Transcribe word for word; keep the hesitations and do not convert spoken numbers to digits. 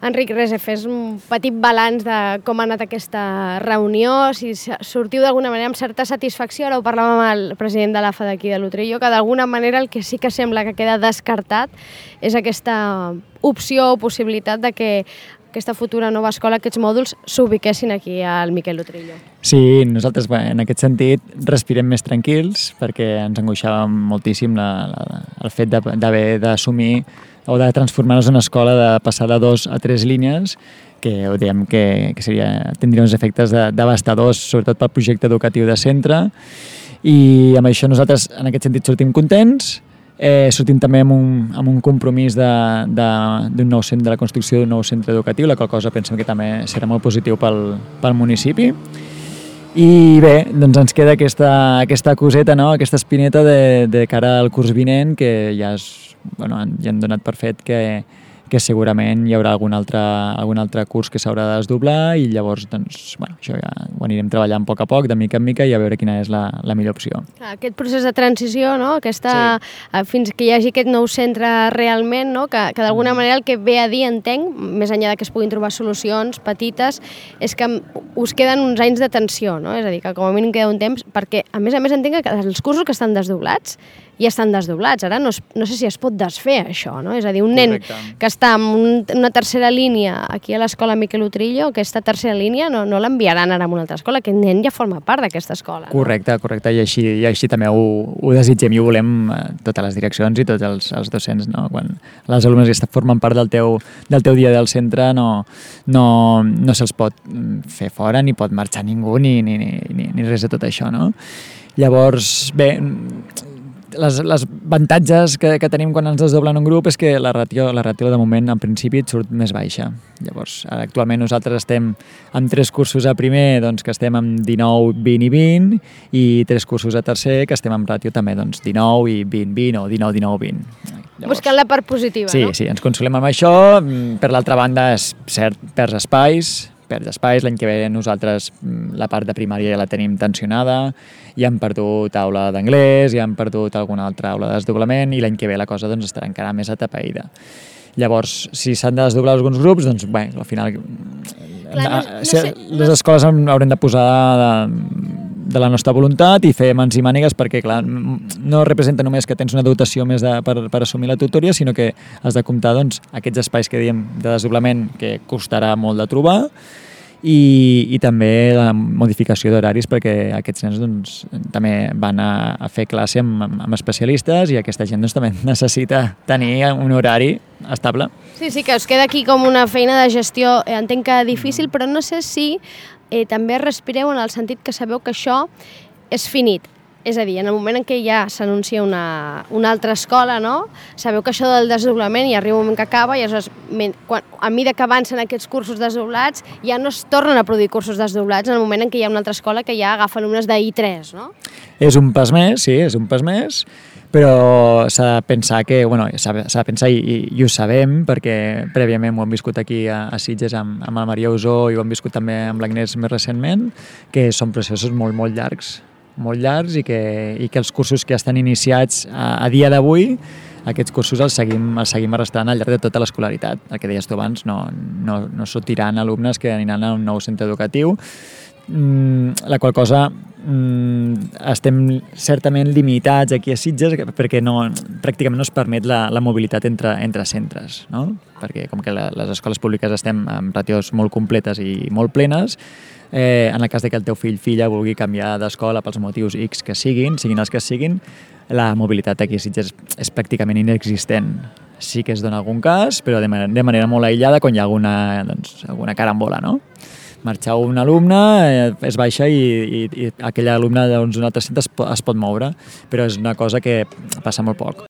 Enric, res, fes un petit balanç de com ha anat aquesta reunió, si sortiu d'alguna manera amb certa satisfacció. Ara ho parlàvem amb el president de l'A F A d'aquí de l'Utrillo, que d'alguna manera el que sí que sembla que queda descartat és aquesta opció o possibilitat de que aquesta futura nova escola, aquests mòduls, s'ubiquessin aquí al Miquel Utrillo. Sí, nosaltres en aquest sentit respirem més tranquils perquè ens angoixava moltíssim la, la, el fet d'haver d'assumir o de transformar-nos en una escola, de passar de dos a tres línies, que ho diem que, que seria, tindria uns efectes de, devastadors, sobretot pel projecte educatiu de centre, i amb això nosaltres en aquest sentit sortim contents. Eh, sortim també amb un, amb un compromís d'un nou centre, de la construcció d'un nou centre educatiu, la qual cosa pensem que també serà molt positiu pel, pel municipi. I bé, doncs ens queda aquesta, aquesta coseta, no? Aquesta espineta de, de cara al curs vinent, que ja, és, bueno, ja han donat per fet que, que segurament hi haurà algun altre, algun altre curs que s'haurà de desdoblar, i llavors doncs, bueno, això ja ho anirem treballant a poc a poc, de mica en mica, i a veure quina és la, la millor opció. Aquest procés de transició, no? Aquesta, sí. Fins que hi hagi aquest nou centre realment, no? que, que d'alguna manera el que ve a dir, entenc, més enllà de que es puguin trobar solucions petites, és que us queden uns anys de tensió, no? És a dir, que com a mínim queda un temps, perquè a més a més entenc que els cursos que estan desdoblats ja estan desdoblats. Ara no, es, no sé si es pot desfer això, no? És a dir, un nen Correcte. Que està en un, una tercera línia aquí a l'escola Miquel Utrillo, aquesta tercera línia no, no l'enviaran ara a una altra escola, aquest nen ja forma part d'aquesta escola. No? Correcte, correcte, i així, i així també ho, ho desitgem i ho volem totes les direccions i tots els, els docents, no? Quan les alumnes que formen part del teu, del teu dia del centre no, no, no se'ls pot fer fora, ni pot marxar ningú, ni, ni, ni, ni res de tot això, no? Llavors, bé, Les, les avantatges que, que tenim quan ens desdoblen un grup és que la ràtio, la ràtio de moment en principi et surt més baixa. Llavors, ara actualment nosaltres estem amb tres cursos a primer, doncs, que estem amb dinou, vint i vint, i tres cursos a tercer que estem amb ràtio també doncs, dinou i vint, vint o dinou, dinou, vint. Llavors, buscant la part positiva, sí, no? Sí, ens consolem amb això. Per l'altra banda, és cert, perds espais, perds espais. L'any que ve nosaltres la part de primària ja la tenim tensionada, ja hem perdut aula d'anglès, ja hem perdut alguna altra aula de desdoblament, i l'any que ve la cosa doncs, estarà encara més atapeïda. Llavors, si s'han de desdoblar alguns grups, doncs bé, al final Clar, no, no sé, les escoles haurem de posar de, de la nostra voluntat i fer mans i mànigues, perquè clar, no representa només que tens una dotació més de, per, per assumir la tutoria, sinó que has de comptar doncs, aquests espais que diem de desdoblament que costarà molt de trobar, I, i també la modificació d'horaris, perquè aquests nens doncs, també van a, a fer classe amb, amb especialistes, i aquesta gent doncs, també necessita tenir un horari estable. Sí, sí, que us queda aquí com una feina de gestió, eh, entenc que difícil, però no sé si eh, també respireu en el sentit que sabeu que això és finit. És a dir, en el moment en què ja s'anuncia una, una altra escola, no? Sabeu que això del desdoblament ja arriba un moment que acaba, i aleshores, quan, a mesura que avancen aquests cursos desdoblats, ja no es tornen a produir cursos desdoblats en el moment en què hi ha una altra escola que ja agafa alumnes d'I tres, no? És un pas més, sí, és un pas més, però s'ha de pensar que, bueno, s'ha de pensar i, i, i ho sabem, perquè prèviament ho hem viscut aquí a, a Sitges amb, amb el Maria Usó, i ho hem viscut també amb l'Agnès més recentment, que són processos molt, molt llargs, molt llargs, i que, i que els cursos que estan iniciats a, a dia d'avui, aquests cursos els seguim, els seguim arrastrant al llarg de tota l'escolaritat. El que deies tu abans, no, no, no sortiran alumnes que aniran a un nou centre educatiu, mm, la qual cosa mm, estem certament limitats aquí a Sitges, perquè no, pràcticament no es permet la, la mobilitat entre, entre centres, no? Perquè com que la, les escoles públiques estem amb ràtios molt completes i molt plenes, Eh, en el cas de que el teu fill filla vulgui canviar d'escola pels motius X que siguin, siguin els que siguin, la mobilitat aquí a Sitges és pràcticament inexistent. Sí que es dona algun cas, però de manera, de manera molt aïllada, quan hi ha alguna, doncs, alguna carambola, no? Marxar un alumne, eh, es baixa i, i, i aquell alumne d'un altre centre es, es pot moure, però és una cosa que passa molt poc.